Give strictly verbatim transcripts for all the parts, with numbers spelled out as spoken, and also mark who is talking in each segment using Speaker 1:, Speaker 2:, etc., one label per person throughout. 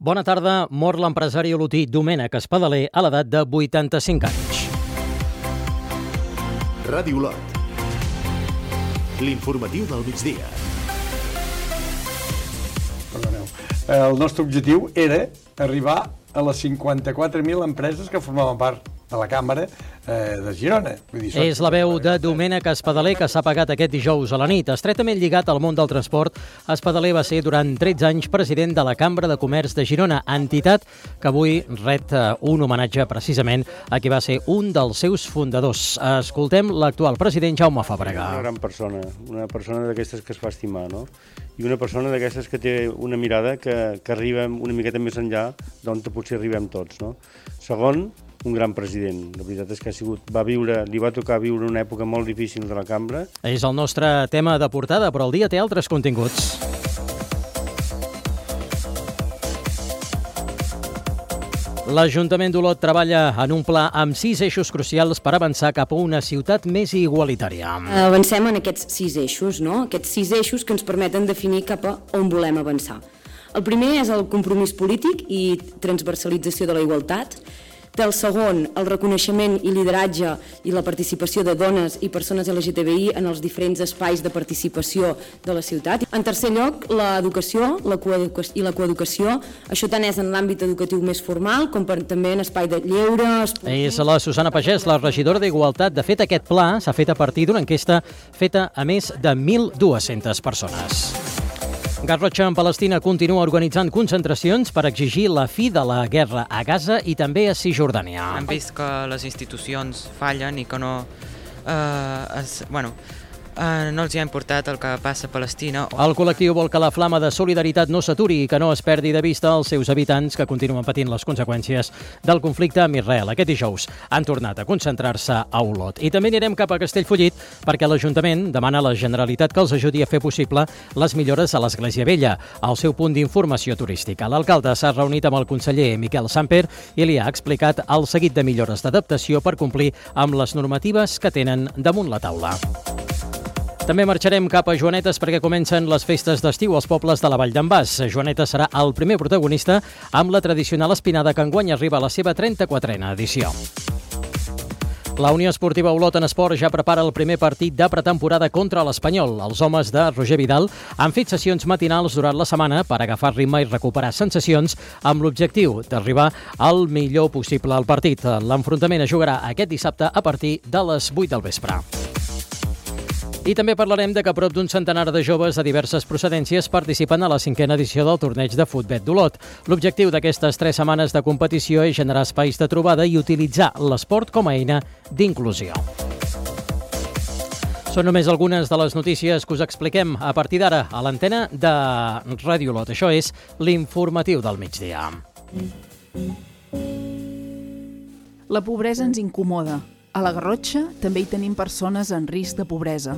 Speaker 1: Bona tarda. Mor l'empresari olotí Domènec Espadaler a l'edat de vuitanta-cinc anys.
Speaker 2: Ràdio Olot. L'informatiu del migdia.
Speaker 3: Perdoneu. El nostre objectiu era arribar a les cinquanta-quatre mil empreses que formaven part de la Càmera eh, de Girona. Vull dir,
Speaker 1: És la veu de Domènec Espadaler, que s'ha pagat aquest dijous a la nit. Estretament lligat al món del transport, Espadaler va ser durant tretze anys president de la Cambra de Comerç de Girona, entitat que avui ret un homenatge precisament a qui va ser un dels seus fundadors. Escoltem l'actual president Jaume Fàbrega.
Speaker 4: Una gran persona, una persona d'aquestes que es fa estimar, no? I una persona d'aquestes que té una mirada que, que arriba una miqueta més enllà d'on potser arribem tots, no? Segon, un gran president. La veritat és que ha sigut, va viure, li va tocar viure una època molt difícil de la Cambra.
Speaker 1: És el nostre tema de portada, però el dia té altres continguts. L'Ajuntament d'Olot treballa en un pla amb sis eixos crucials per avançar cap a una ciutat més igualitària.
Speaker 5: Avancem en aquests sis eixos, no? Aquests sis eixos que ens permeten definir cap a on volem avançar. El primer és el compromís polític i transversalització de la igualtat. El segon, el reconeixement i lideratge i la participació de dones i persones L G T B I en els diferents espais de participació de la ciutat. En tercer lloc, l'educació la coeducació, i la coeducació. Això tant és en l'àmbit educatiu més formal com per, també en espai de lleure, esportiu.
Speaker 1: És la Susana Pagès, la regidora d'Igualtat. De fet, aquest pla s'ha fet a partir d'una enquesta feta a més de mil dues-centes persones. Garrotxa en Palestina continua organitzant concentracions per exigir la fi de la guerra a Gaza i també a Cisjordània.
Speaker 6: Hem vist que les institucions fallen i que no, eh, es, bueno, eh, no els hi ha importat el que passa a Palestina.
Speaker 1: El col·lectiu vol que la flama de solidaritat no s'aturi i que no es perdi de vista els seus habitants que continuen patint les conseqüències del conflicte amb Israel. Aquest dijous han tornat a concentrar-se a Olot. I també anirem cap a Castellfollit perquè l'Ajuntament demana a la Generalitat que els ajudi a fer possible les millores a l'Església Vella, al seu punt d'informació turística. L'alcalde s'ha reunit amb el conseller Miquel Samper i li ha explicat el seguit de millores d'adaptació per complir amb les normatives que tenen damunt la taula. També marxarem cap a Joanetes perquè comencen les festes d'estiu als pobles de la Vall d'en Bas. Joanetes serà el primer protagonista amb la tradicional espinada que enguany arriba a la seva trenta-quatrena edició. La Unió Esportiva Olot en Esport ja prepara el primer partit de pretemporada contra l'Espanyol. Els homes de Roger Vidal han fet sessions matinals durant la setmana per agafar ritme i recuperar sensacions amb l'objectiu d'arribar al millor possible al partit. L'enfrontament es jugarà aquest dissabte a partir de les vuit del vespre. I també parlarem de que prop d'un centenar de joves de diverses procedències participen a la cinquena edició del torneig de futbet d'Olot. L'objectiu d'aquestes tres setmanes de competició és generar espais de trobada i utilitzar l'esport com a eina d'inclusió. Són només algunes de les notícies que us expliquem a partir d'ara a l'antena de Ràdio Olot. Això és l'informatiu del migdia.
Speaker 7: La pobresa ens incomoda. A la Garrotxa també hi tenim persones en risc de pobresa.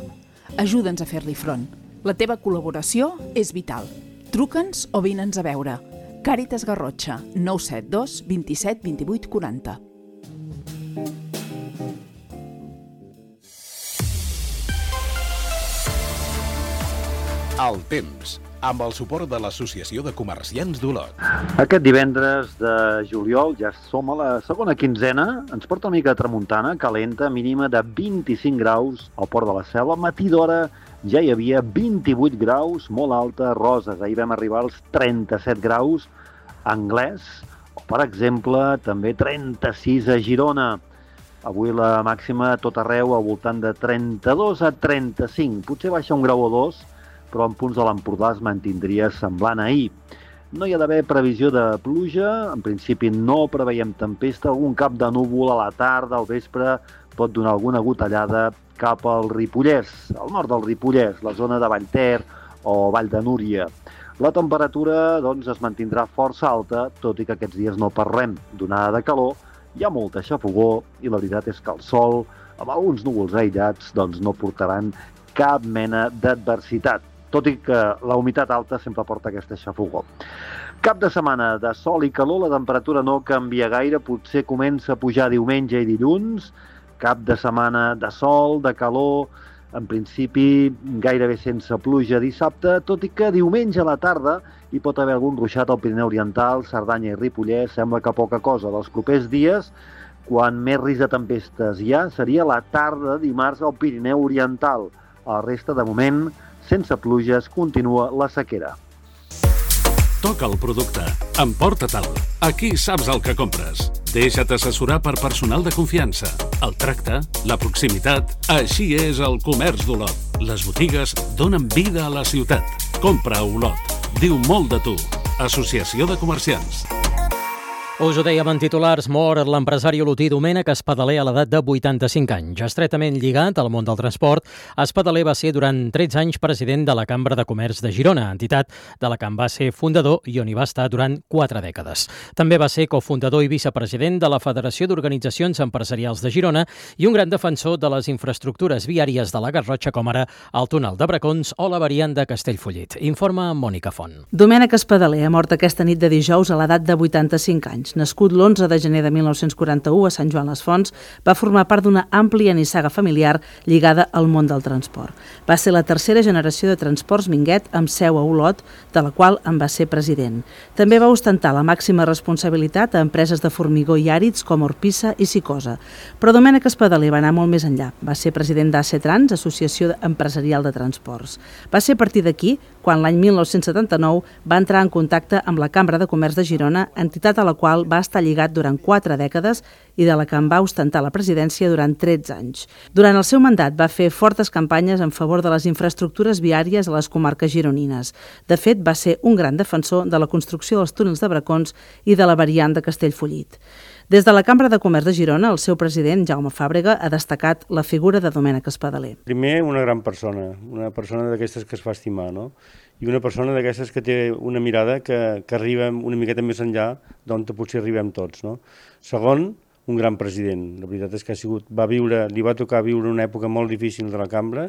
Speaker 7: Ajuda'ns a fer-li front. La teva col·laboració és vital. Truca'ns o vine'ns a veure. Càritas Garrotxa, nou set dos vint-i-set vint-i-vuit quaranta.
Speaker 2: El temps, amb el suport de l'Associació de Comerciants d'Olot.
Speaker 8: Aquest divendres de juliol ja som a la segona quinzena, ens porta una mica de tramuntana, calenta, mínima de vint-i-cinc graus al Port de la Selva. Matí d'hora ja hi havia vint-i-vuit graus, molt alta, Roses. Ahir vam arribar als trenta-set graus a Anglès, o per exemple també trenta-sis a Girona. Avui la màxima a tot arreu al voltant de trenta-dos a trenta-cinc, potser baixa un grau o dos, però en punts de l'Empordà es mantindria semblant a ahir. No hi ha d'haver previsió de pluja, en principi no preveiem tempesta, algun cap de núvol a la tarda, al vespre, pot donar alguna gotellada cap al Ripollès, al nord del Ripollès, la zona de Vallter o Vall de Núria. La temperatura doncs, es mantindrà força alta, tot i que aquests dies no parlem d'onada de calor, hi ha molta xafogor i la veritat és que el sol, amb alguns núvols aïllats, doncs, no portaran cap mena d'adversitat, tot i que la humitat alta sempre porta aquesta xafogor. Cap de setmana de sol i calor, la temperatura no canvia gaire, potser comença a pujar diumenge i dilluns, cap de setmana de sol, de calor, En principi, gairebé sense pluja dissabte, tot i que diumenge a la tarda hi pot haver algun ruixat al Pirineu Oriental, Cerdanya i Ripollès, sembla que poca cosa. Dels propers dies, quan més risc de tempestes hi ha, seria la tarda de dimarts al Pirineu Oriental. A la resta, de moment, sense pluges, continua la sequera.
Speaker 2: Toca el producte. Emporta-te'l. Aquí saps el que compres. Deixa't assessorar per personal de confiança. El tracte, la proximitat... Així és el comerç d'Olot. Les botigues donen vida a la ciutat. Compra a Olot. Diu molt de tu. Associació de Comerciants.
Speaker 1: Us ho dèiem en titulars, mor l'empresari olotí Domènec Espadaler a l'edat de vuitanta-cinc anys. Estretament lligat al món del transport, Espadaler va ser durant tretze anys president de la Cambra de Comerç de Girona, entitat de la que en va ser fundador i on hi va estar durant quatre dècades. També va ser cofundador i vicepresident de la Federació d'Organitzacions Empresarials de Girona i un gran defensor de les infraestructures viàries de la Garrotxa, com ara el túnel de Bracons o la variant de Castellfollit. Informa Mònica Font.
Speaker 9: Domènec Espadaler ha mort aquesta nit de dijous a l'edat de vuitanta-cinc anys. Nascut l'onze de gener de mil nou-cents quaranta-u a Sant Joan les Fonts, va formar part d'una àmplia nissaga familiar lligada al món del transport. Va ser la tercera generació de Transports Minguet amb seu a Olot, de la qual en va ser president. També va ostentar la màxima responsabilitat a empreses de formigó i àrids com Orpissa i Sicosa. Però Domènec Espadaler va anar molt més enllà. Va ser president d'A C Trans, Associació Empresarial de Transports. Va ser a partir d'aquí quan l'any mil nou-cents setanta-nou va entrar en contacte amb la Cambra de Comerç de Girona, entitat a la qual va estar lligat durant quatre dècades i de la que en va ostentar la presidència durant tretze anys. Durant el seu mandat va fer fortes campanyes en favor de les infraestructures viàries a les comarques gironines. De fet, va ser un gran defensor de la construcció dels túnels de Bracons i de la variant de Castellfollit. Des de la Cambra de Comerç de Girona, el seu president, Jaume Fàbrega, ha destacat la figura de Domènec Espadaler.
Speaker 4: Primer, una gran persona, una persona d'aquestes que es fa estimar, no? I una persona d'aquestes que té una mirada que, que arriba una miqueta més enllà d'on potser arribem tots, no? Segon, un gran president. La veritat és que ha sigut, va viure, li va tocar viure una època molt difícil de la Cambra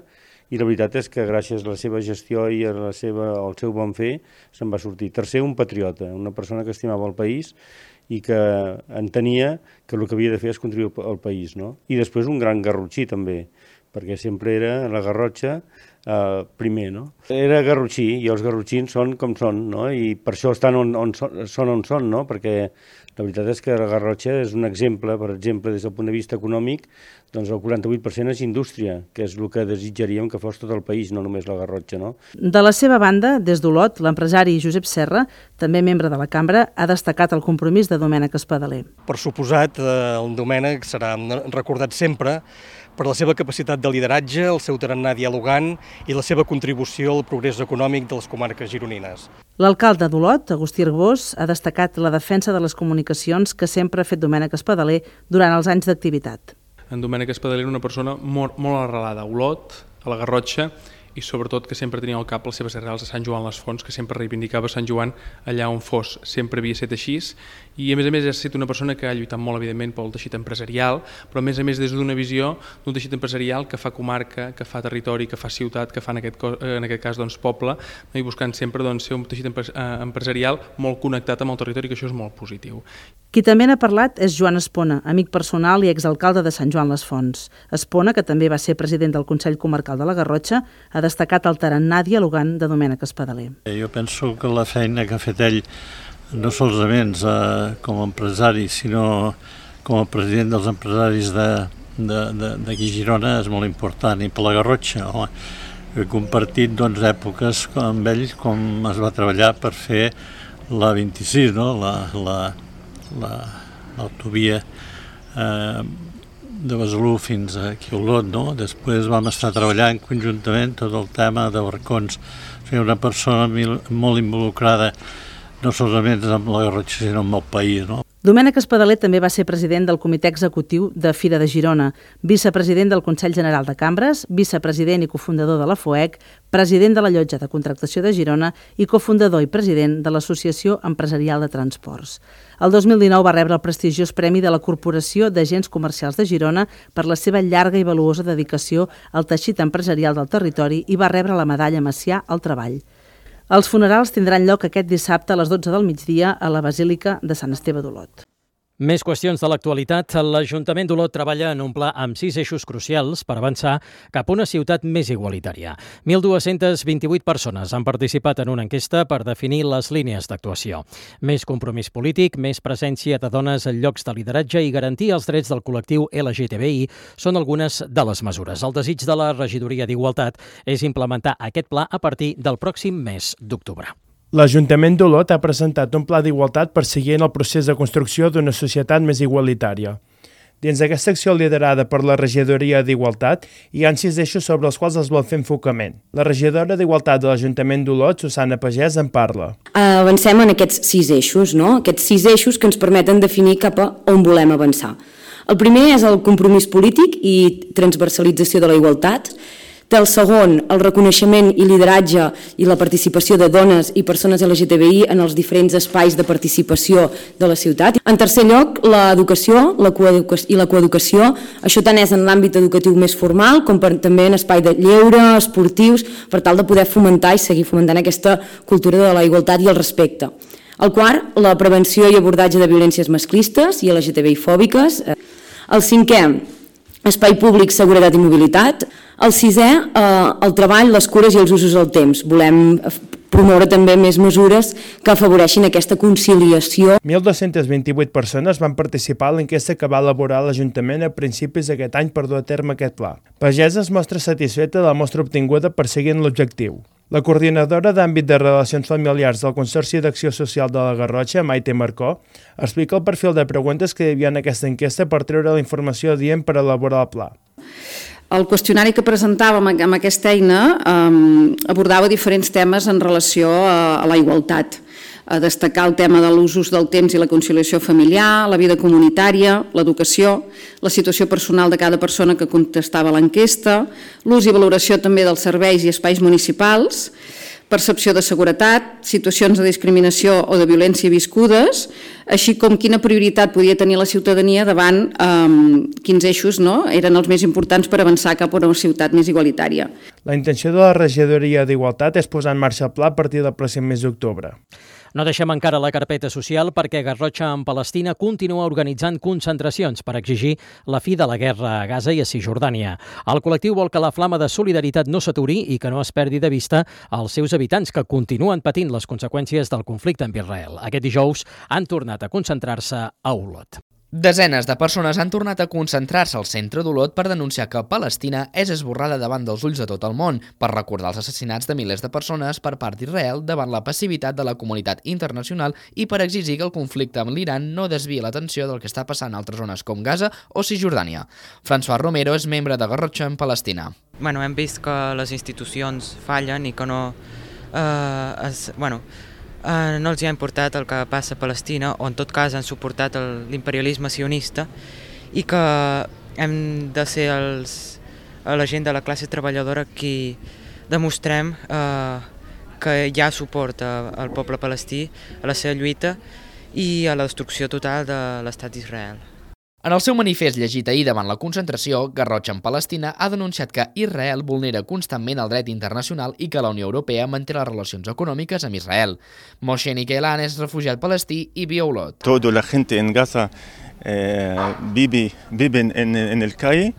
Speaker 4: i la veritat és que gràcies a la seva gestió i a la seva, al seu bon fer se'n va sortir. Tercer, un patriota, una persona que estimava el país i que entenia que el que havia de fer és contribuir al país, no? I després un gran garrotxí també, perquè sempre era la Garrotxa eh, primer, no? Era garrotxí i els garrotxins són com són, no? I per això estan on, on són, són on són, no? Perquè la veritat és que la Garrotxa és un exemple, per exemple, des del punt de vista econòmic, doncs el quaranta-vuit per cent és indústria, que és el que desitjaríem que fos tot el país, no només la Garrotxa, no?
Speaker 9: De la seva banda, des d'Olot, l'empresari Josep Serra, també membre de la Cambra, ha destacat el compromís de Domènec Espadaler.
Speaker 10: Per suposat, el Domènec serà recordat sempre per la seva capacitat de lideratge, el seu tarannà dialogant i la seva contribució al progrés econòmic de les comarques gironines.
Speaker 9: L'alcalde d'Olot, Agustí Arbós, ha destacat la defensa de les comunicacions que sempre ha fet Domènec Espadaler durant els anys d'activitat.
Speaker 11: En Domènec Espadaler era una persona molt, molt arrelada a Olot, a la Garrotxa, i sobretot que sempre tenia al cap les seves arrels a Sant Joan les Fonts, que sempre reivindicava Sant Joan allà on fos. Sempre havia estat així i a més a més ha estat una persona que ha lluitat molt evidentment pel teixit empresarial, però a més a més des d'una visió d'un teixit empresarial que fa comarca, que fa territori, que fa ciutat, que fa en aquest, en aquest cas doncs, poble, i buscant sempre doncs, ser un teixit empresarial molt connectat amb el territori, que això és molt positiu.
Speaker 9: Qui també n'ha parlat és Joan Espona, amic personal i exalcalde de Sant Joan les Fonts. Espona, que també va ser president del Consell Comarcal de la Garrotxa, ha destacat el tarannà dialogant de Domènec Espadaler.
Speaker 12: Jo penso que la feina que ha fet ell, no solament eh, com a empresari, sinó com a president dels empresaris d'aquí de, de, de Girona, és molt important. I per la Garrotxa, home, he compartit doncs, èpoques amb ell com es va treballar per fer la vint-i-sis, no? la, la, la, l'autovia eh, de Besalú fins aquí a Olot, no? Després vam estar treballant conjuntament tot el tema de Barcons. Fer una persona molt involucrada no solament amb la Garrotxa, sinó amb el país, no?
Speaker 9: Domènec Espadaler també va ser president del Comitè Executiu de Fira de Girona, vicepresident del Consell General de Cambres, vicepresident i cofundador de la FOEC, president de la Llotja de Contractació de Girona i cofundador i president de l'Associació Empresarial de Transports. El dos mil dinou va rebre el prestigiós Premi de la Corporació d'Agents Comercials de Girona per la seva llarga i valuosa dedicació al teixit empresarial del territori i va rebre la medalla Macià al Treball. Els funerals tindran lloc aquest dissabte a les dotze del migdia a la Basílica de Sant Esteve d'Olot.
Speaker 1: Més qüestions de l'actualitat. L'Ajuntament d'Olot treballa en un pla amb sis eixos crucials per avançar cap a una ciutat més igualitària. mil dos-cents vint-i-vuit persones han participat en una enquesta per definir les línies d'actuació. Més compromís polític, més presència de dones en llocs de lideratge i garantir els drets del col·lectiu L G T B I són algunes de les mesures. El desig de la Regidoria d'Igualtat és implementar aquest pla a partir del pròxim mes d'octubre.
Speaker 13: L'Ajuntament d'Olot ha presentat un pla d'igualtat per seguir en el procés de construcció d'una societat més igualitària. Dins d'aquesta acció liderada per la Regidoria d'Igualtat, hi ha sis eixos sobre els quals es vol fer enfocament. La regidora d'Igualtat de l'Ajuntament d'Olot, Susana Pagès, en parla.
Speaker 5: Avancem en aquests sis eixos, no? Aquests sis eixos que ens permeten definir cap a on volem avançar. El primer és el compromís polític i transversalització de la igualtat. Té el segon, el reconeixement i lideratge i la participació de dones i persones L G T B I en els diferents espais de participació de la ciutat. En tercer lloc, l'educació i la coeducació. Això tant és en l'àmbit educatiu més formal com per, també en espai de lleure, esportius, per tal de poder fomentar i seguir fomentant aquesta cultura de la igualtat i el respecte. El quart, la prevenció i abordatge de violències masclistes i L G T B I fòbiques. El cinquè, espai públic, seguretat i mobilitat. El sisè, eh, el treball, les cures i els usos del temps. Volem promoure també més mesures que afavoreixin aquesta conciliació.
Speaker 13: mil dos-cents vint-i-vuit persones van participar en l'enquesta que va elaborar l'Ajuntament a principis d'aquest any per dur a terme aquest pla. Pagès es mostra satisfeta de la mostra obtinguda perseguint l'objectiu. La coordinadora d'àmbit de relacions familiars del Consorci d'Acció Social de la Garrotxa, Maite Marcó, explica el perfil de preguntes que hi havia en aquesta enquesta per treure la informació adient per elaborar el pla.
Speaker 14: El qüestionari que presentàvem amb aquesta eina eh, abordava diferents temes en relació a, a la igualtat. A destacar el tema de l'usos del temps i la conciliació familiar, la vida comunitària, l'educació, la situació personal de cada persona que contestava a l'enquesta, l'ús i valoració també dels serveis i espais municipals, percepció de seguretat, situacions de discriminació o de violència viscudes, així com quina prioritat podia tenir la ciutadania davant eh, quins eixos no, eren els més importants per avançar cap a una ciutat més igualitària.
Speaker 13: La intenció de la Regidoria d'Igualtat és posar en marxa el pla a partir del pròxim mes d'octubre.
Speaker 1: No deixem encara la carpeta social perquè Garrotxa en Palestina continua organitzant concentracions per exigir la fi de la guerra a Gaza i a Cisjordània. El col·lectiu vol que la flama de solidaritat no s'aturi i que no es perdi de vista els seus habitants que continuen patint les conseqüències del conflicte amb Israel. Aquest dijous han tornat a concentrar-se a Olot.
Speaker 15: Desenes de persones han tornat a concentrar-se al centre d'Olot per denunciar que Palestina és esborrada davant dels ulls de tot el món, per recordar els assassinats de milers de persones per part d'Israel davant la passivitat de la comunitat internacional i per exigir que el conflicte amb l'Iran no desviï l'atenció del que està passant a altres zones com Gaza o Cisjordània. François Romero és membre de Garrotxa en Palestina.
Speaker 6: Bueno, hem vist que les institucions fallen i que no... Eh, es, bueno, Uh, no els hi ha importat el que passa a Palestina, o en tot cas han suportat l'imperialisme sionista, i que hem de ser els, la gent de la classe treballadora qui demostrem uh, que hi ha suport a, al poble palestí, a la seva lluita i a la destrucció total de l'estat d'Israel.
Speaker 15: En el seu manifest llegit ahir davant la concentració, Garrotxa en Palestina ha denunciat que Israel vulnera constantment el dret internacional i que la Unió Europea manté les relacions econòmiques amb Israel. Moshe Nikelan és refugiat palestí i viu a Olot.
Speaker 16: Toda la gente en Gaza eh, vive, vive en, en el calle.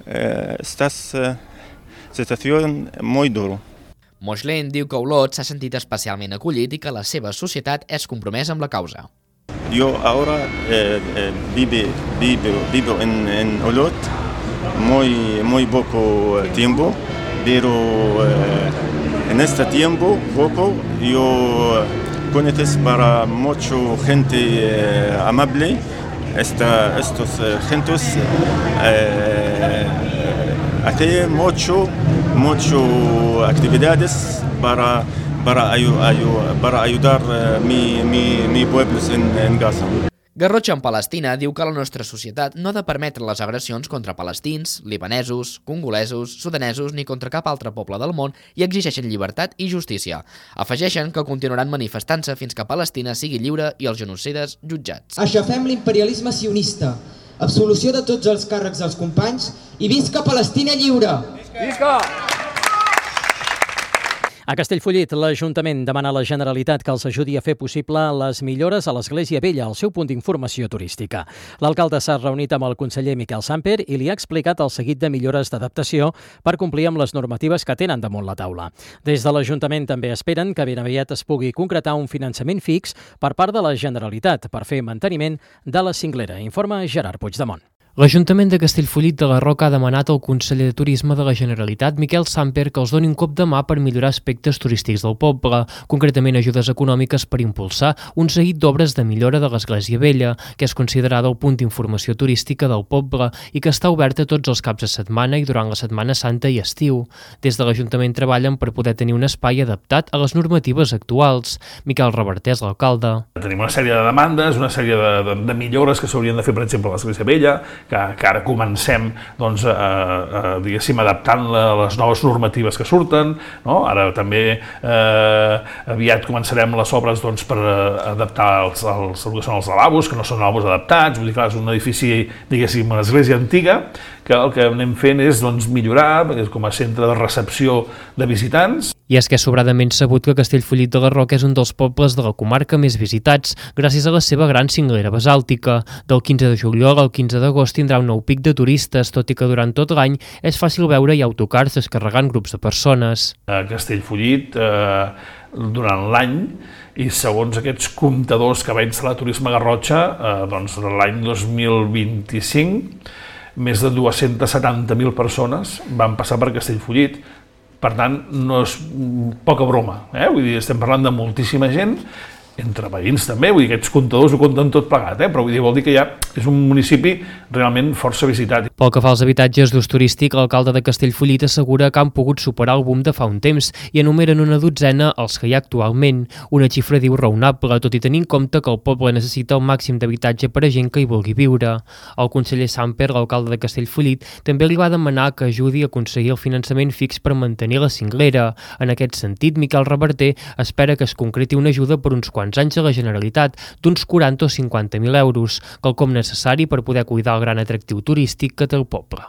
Speaker 16: Eh, esta eh, situación muy dura.
Speaker 15: Moshe diu que Olot s'ha sentit especialment acollit i que la seva societat és compromesa amb la causa.
Speaker 16: Yo ahora eh, eh, vivo, vivo, vivo en, en Olot muy, muy poco tiempo, pero eh, en este tiempo poco yo conozco para mucha gente eh, amable. Esta, estos eh, gentes eh, hacen mucho, mucho actividades para Para, ayu, ayu, para ayudar uh, mi, mi, mi pueblos en, en Gaza.
Speaker 15: Garrotxa en Palestina diu que la nostra societat no ha de permetre les agressions contra palestins, libanesos, congolesos, sudanesos ni contra cap altre poble del món i exigeixen llibertat i justícia. Afegeixen que continuaran manifestant-se fins que Palestina sigui lliure i els genocides jutjats.
Speaker 17: Aixafem l'imperialisme sionista, absolució de tots els càrrecs dels companys i visca Palestina lliure! Visca!
Speaker 1: A Castellfollit, l'Ajuntament demana a la Generalitat que els ajudi a fer possible les millores a l'Església Vella, el seu punt d'informació turística. L'alcalde s'ha reunit amb el conseller Miquel Samper i li ha explicat el seguit de millores d'adaptació per complir amb les normatives que tenen damunt la taula. Des de l'Ajuntament també esperen que ben aviat es pugui concretar un finançament fix per part de la Generalitat per fer manteniment de la cinglera, informa Gerard Puigdemont.
Speaker 18: L'Ajuntament de Castellfollit de la Roca ha demanat al conseller de Turisme de la Generalitat, Miquel Samper, que els doni un cop de mà per millorar aspectes turístics del poble, concretament ajudes econòmiques per impulsar un seguit d'obres de millora de l'Església Vella, que és considerada el punt d'informació turística del poble i que està oberta tots els caps de setmana i durant la Setmana Santa i estiu. Des de l'Ajuntament treballen per poder tenir un espai adaptat a les normatives actuals. Miquel Reverter és l'alcalde.
Speaker 19: Tenim una sèrie de demandes, una sèrie de, de, de millores que s'haurien de fer, per exemple, a l'Església Vella, que, que ara comencem doncs, a, a, diguéssim, adaptant a les noves normatives que surten, no? Ara també eh, aviat començarem les obres doncs, per adaptar els, els, el que són els lavabos, que no són lavabos adaptats, vull dir que és un edifici, diguéssim, una església antiga, que el que anem fent és doncs, millorar com a centre de recepció de visitants.
Speaker 18: I és que és sobradament sabut que Castellfollit de la Roca és un dels pobles de la comarca més visitats, gràcies a la seva gran cinglera basàltica. Del quinze de juliol al quinze d'agost tindrà un nou pic de turistes, tot i que durant tot l'any és fàcil veure hi autocars descarregant grups de persones.
Speaker 19: A Castellfollit, eh, durant l'any, i segons aquests comptadors que va instal·lar Turisme Garrotxa, eh, doncs l'any dos mil vint-i-cinc, més de dues-centes setanta mil persones van passar per Castellfollit. Per tant, no és poca broma, eh? Vull dir, estem parlant de moltíssima gent, entre veïns també, vull dir, aquests comptadors ho compten tot plegat, eh? Però vull dir, vol dir que ja és un municipi realment força visitat.
Speaker 18: Pel que fa als habitatges d'ús turístic, l'alcalde de Castellfollit assegura que han pogut superar el boom de fa un temps i enumeren una dotzena els que hi ha actualment, una xifra diu raonable, tot i tenir en compte que el poble necessita el màxim d'habitatge per a gent que hi vulgui viure. El conseller Samper, l'alcalde de Castellfollit, també li va demanar que ajudi a aconseguir el finançament fix per mantenir la cinglera. En aquest sentit, Miquel Reverter espera que es concreti una ajuda per uns quants anys a la Generalitat d'uns quaranta o cinquanta mil euros, quelcom necessari per poder cuidar el gran atractiu turístic que té el poble.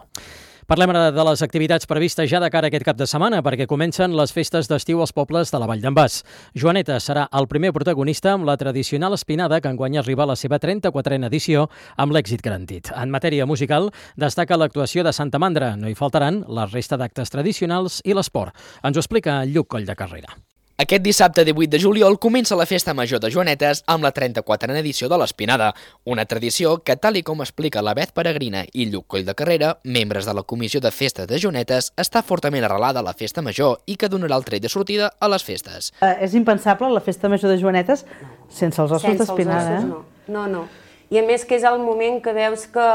Speaker 1: Parlem ara de les activitats previstes ja de cara a aquest cap de setmana, perquè comencen les festes d'estiu als pobles de la Vall d'en Bas. Joaneta serà el primer protagonista amb la tradicional espinada, que enguany arriba a la seva trenta-quatrena edició amb l'èxit garantit. En matèria musical, destaca l'actuació de Santa Mandra. No hi faltaran la resta d'actes tradicionals i l'esport. Ens ho explica Lluc Coll de Carrera.
Speaker 15: Aquest dissabte divuit de juliol comença la Festa Major de Joanetes amb la trenta-quatrena edició de l'Espinada, una tradició que, tal i com explica la Beth Peregrina i Lluc Coll de Carrera, membres de la Comissió de Festes de Joanetes, està fortament arrelada a la Festa Major i que donarà el tret de sortida a les festes.
Speaker 9: Uh, és impensable la Festa Major de Joanetes sense els ossos d'espinada, eh?
Speaker 20: No, no, no. I a més que és el moment que veus que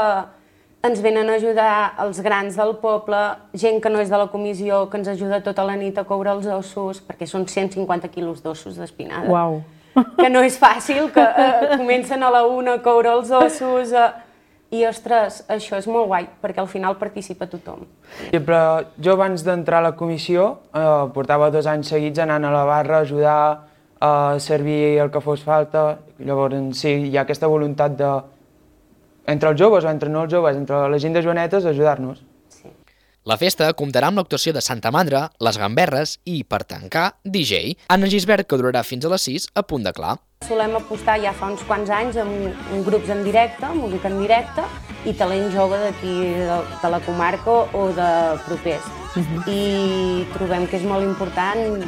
Speaker 20: ens venen a ajudar els grans del poble, gent que no és de la comissió, que ens ajuda tota la nit a coure els ossos, perquè són cent cinquanta quilos d'ossos d'espinada.
Speaker 9: Uau!
Speaker 20: Que no és fàcil, que eh, comencen a la una a coure els ossos, eh, i ostres, això és molt guai, perquè al final participa tothom.
Speaker 21: Sí, però jo abans d'entrar a la comissió eh, portava dos anys seguits anant a la barra a ajudar a servir el que fos falta, llavors sí, hi ha aquesta voluntat de entre els joves o entre no els joves, entre la gent de Joanetes, ajudar-nos.
Speaker 20: Sí.
Speaker 15: La festa comptarà amb l'actuació de Santa Mandra, les gamberres i, per tancar, D J. Anna Gisbert, que durarà fins a les sis, a punt de clar.
Speaker 20: Solem apostar ja fa uns quants anys amb, amb grups en directe, música en directe, i talent jove d'aquí de, de la comarca o de propers. Uh-huh. I trobem que és molt important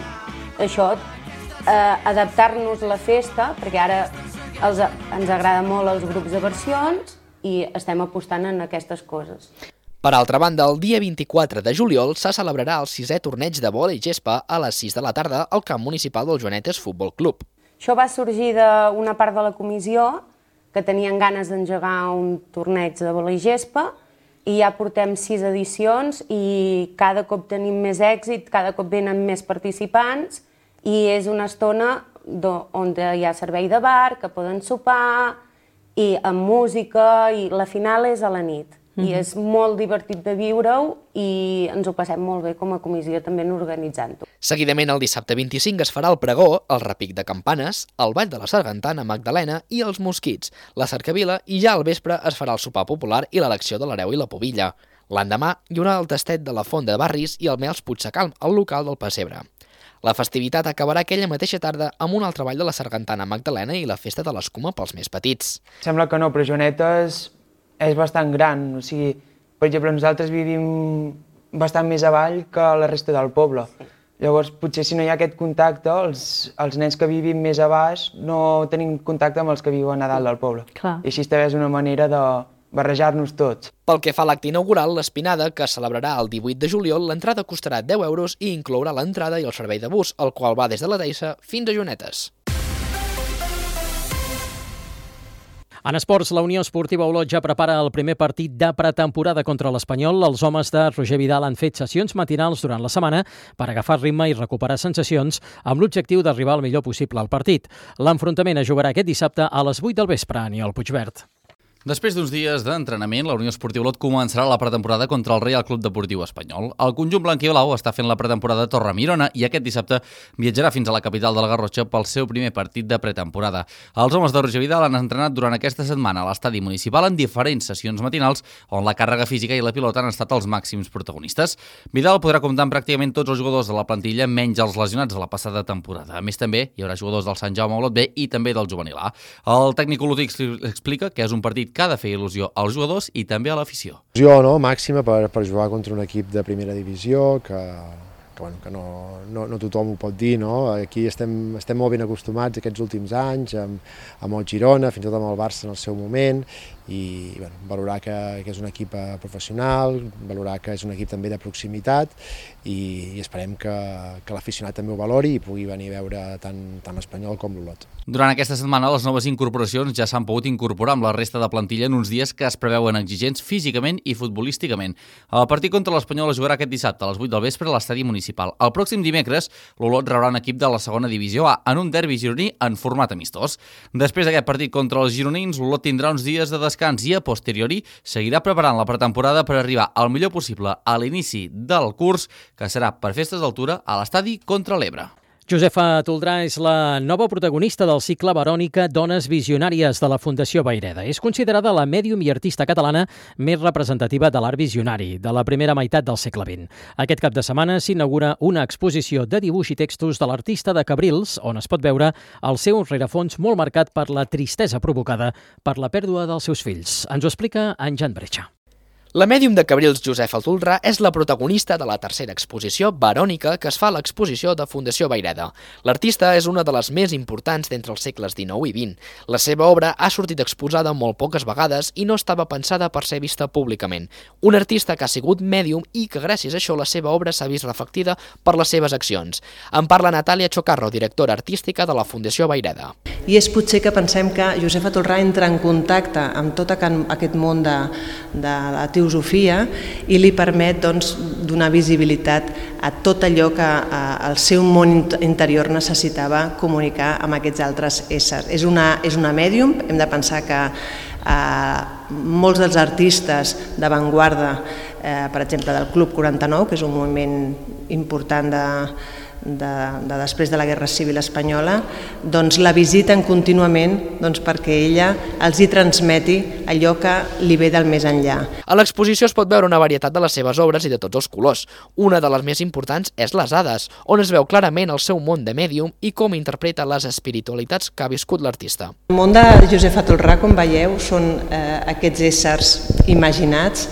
Speaker 20: això, eh, adaptar-nos la festa, perquè ara els, ens agrada molt els grups de versions, i estem apostant en aquestes coses.
Speaker 15: Per altra banda, el dia vint-i-quatre de juliol se celebrarà el sisè torneig de vòlei gespa a les sis de la tarda al camp municipal del Joanetes Futbol Club.
Speaker 20: Això va sorgir d'una part de la comissió que tenien ganes d'engegar un torneig de vòlei gespa i ja portem sis edicions i cada cop tenim més èxit, cada cop venen més participants i és una estona on hi ha servei de bar, que poden sopar, i amb música, i la final és a la nit. Mm-hmm. I és molt divertit de viure-ho i ens ho passem molt bé com a comissió també en organitzant-ho.
Speaker 15: Seguidament, el dissabte vint-i-cinc es farà el pregó, el repic de campanes, el ball de la Sargantana Magdalena i els mosquits, la cercavila, i ja al vespre es farà el sopar popular i l'elecció de l'hereu i la pubilla. L'endemà hi haurà el tastet de la Font de Barris i el Mels Puigsecalm, al local del Pessebre. La festivitat acabarà aquella mateixa tarda amb un altre ball de la sargantana Magdalena i la festa de l'escuma pels més petits.
Speaker 21: Sembla que no, però Joanetes és bastant gran. O sigui, per exemple, nosaltres vivim bastant més avall que la resta del poble. Llavors, potser si no hi ha aquest contacte, els, els nens que vivim més a baix no tenim contacte amb els que viuen a dalt del poble.
Speaker 9: Clar.
Speaker 21: I així també és una manera de barrejar-nos tots.
Speaker 15: Pel que fa a l'acte inaugural, l'Espinada, que es celebrarà el divuit de juliol, l'entrada costarà deu euros i inclourà l'entrada i el servei de bus, el qual va des de la Deissa fins a Joanetes.
Speaker 1: En esports, la Unió Esportiva Olot ja prepara el primer partit de pretemporada contra l'Espanyol. Els homes de Roger Vidal han fet sessions matinals durant la setmana per agafar ritme i recuperar sensacions amb l'objectiu d'arribar el millor possible al partit. L'enfrontament es jugarà aquest dissabte a les vuit del vespre, Aniol Puigverd.
Speaker 3: Després d'uns dies d'entrenament, la Unió Esportiva Olot començarà la pretemporada contra el Reial Club Deportiu Espanyol. El conjunt blanc i blau està fent la pretemporada a Torre-Mirona i aquest dissabte viatjarà fins a la capital de la Garrotxa pel seu primer partit de pretemporada. Els homes de Roger Vidal han entrenat durant aquesta setmana a l'estadi municipal en diferents sessions matinals on la càrrega física i la pilota han estat els màxims protagonistes. Vidal podrà comptar amb pràcticament tots els jugadors de la plantilla, menys els lesionats de la passada temporada. A més, també hi haurà jugadors del Sant Jaume Olot B i també del Juvenil A. El tècnic olotí explica que és un partit que ha de fer il·lusió als jugadors i també a l'afició.
Speaker 22: Il·lusió, no? Màxima per, per jugar contra un equip de primera divisió, que, que, bueno, que no, no, no tothom ho pot dir, no? Aquí estem, estem molt ben acostumats aquests últims anys, amb, amb el Girona, fins i tot amb el Barça en el seu moment, i bueno, valorar que, que és un equip professional, valorar que és un equip també de proximitat i, i esperem que, que l'aficionat també ho valori i pugui venir a veure tant, tant l'Espanyol com l'Olot.
Speaker 3: Durant aquesta setmana, les noves incorporacions ja s'han pogut incorporar amb la resta de plantilla en uns dies que es preveuen exigents físicament i futbolísticament. El partit contra l'Espanyol es jugarà aquest dissabte a les vuit del vespre a l'estadi municipal. El pròxim dimecres, l'Olot rebrà un equip de la segona divisió A en un derbi gironí en format amistós. Després d'aquest partit contra els gironins, l'Olot tindrà uns dies de descans i a posteriori seguirà preparant la pretemporada per arribar al millor possible a l'inici del curs, que serà per festes d'altura a l'estadi contra l'Ebre.
Speaker 1: Josefa Toldrà és la nova protagonista del cicle Verònica Dones Visionàries de la Fundació Vayreda. És considerada la mèdium i artista catalana més representativa de l'art visionari de la primera meitat del segle vint. Aquest cap de setmana s'inaugura una exposició de dibuix i textos de l'artista de Cabrils, on es pot veure el seu rerefons molt marcat per la tristesa provocada per la pèrdua dels seus fills. Ens ho explica en Jan Bretxa.
Speaker 15: La mèdium de Cabrils, Josefa Toldrà, és la protagonista de la tercera exposició Verònica que es fa a l'exposició de Fundació Vayreda. L'artista és una de les més importants d'entre els segles dinou i vint. La seva obra ha sortit exposada molt poques vegades i no estava pensada per ser vista públicament. Un artista que ha sigut mèdium i que gràcies a això la seva obra s'ha vist reflectida per les seves accions. En parla Natàlia Chocarro, directora artística de la Fundació Vayreda.
Speaker 23: I és potser que pensem que Josefa Toldrà entra en contacte amb tot aquest món de, de la teosofia i li permet doncs, donar visibilitat a tot allò que eh, el seu món interior necessitava comunicar amb aquests altres éssers. És una, és una mèdium, hem de pensar que eh, molts dels artistes d'avantguarda, eh, per exemple del Club quaranta-nou, que és un moviment important de De, de després de la Guerra Civil Espanyola, doncs la visiten contínuament doncs, perquè ella els hi transmeti allò que li ve del més enllà.
Speaker 15: A l'exposició es pot veure una varietat de les seves obres i de tots els colors. Una de les més importants és Les Hades, on es veu clarament el seu món de mèdium i com interpreta les espiritualitats que ha viscut l'artista.
Speaker 23: El món de Josefa Toldrà, com veieu, són eh, aquests éssers imaginats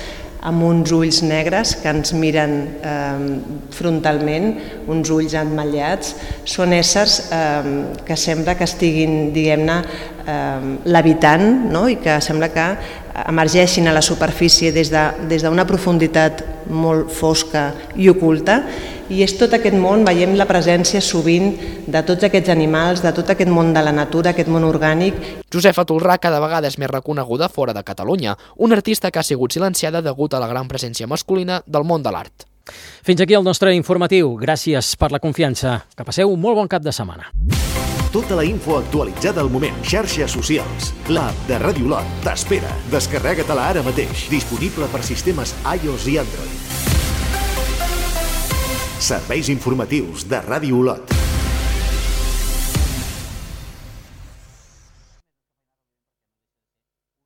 Speaker 23: amb uns ulls negres que ens miren eh, frontalment, uns ulls emmetllats. Són éssers eh, que sembla que estiguin, diguem-ne, eh, l'habitant, no? I que sembla que emergeixin a la superfície des de, des d'una profunditat molt fosca i oculta. I és tot aquest món, veiem la presència sovint de tots aquests animals, de tot aquest món de la natura, aquest món orgànic.
Speaker 15: Josefa Toldrà cada vegada és més reconeguda fora de Catalunya, una artista que ha sigut silenciada degut a la gran presència masculina del món de l'art.
Speaker 1: Fins aquí el nostre informatiu. Gràcies per la confiança. Que passeu un molt bon cap de setmana.
Speaker 24: Tota la info actualitzada al moment. Xarxes socials. L'app de Ràdio Olot t'espera. Descarrega-te-la ara mateix. Disponible per sistemes iOS i Android. Serveis informatius de Ràdio Olot.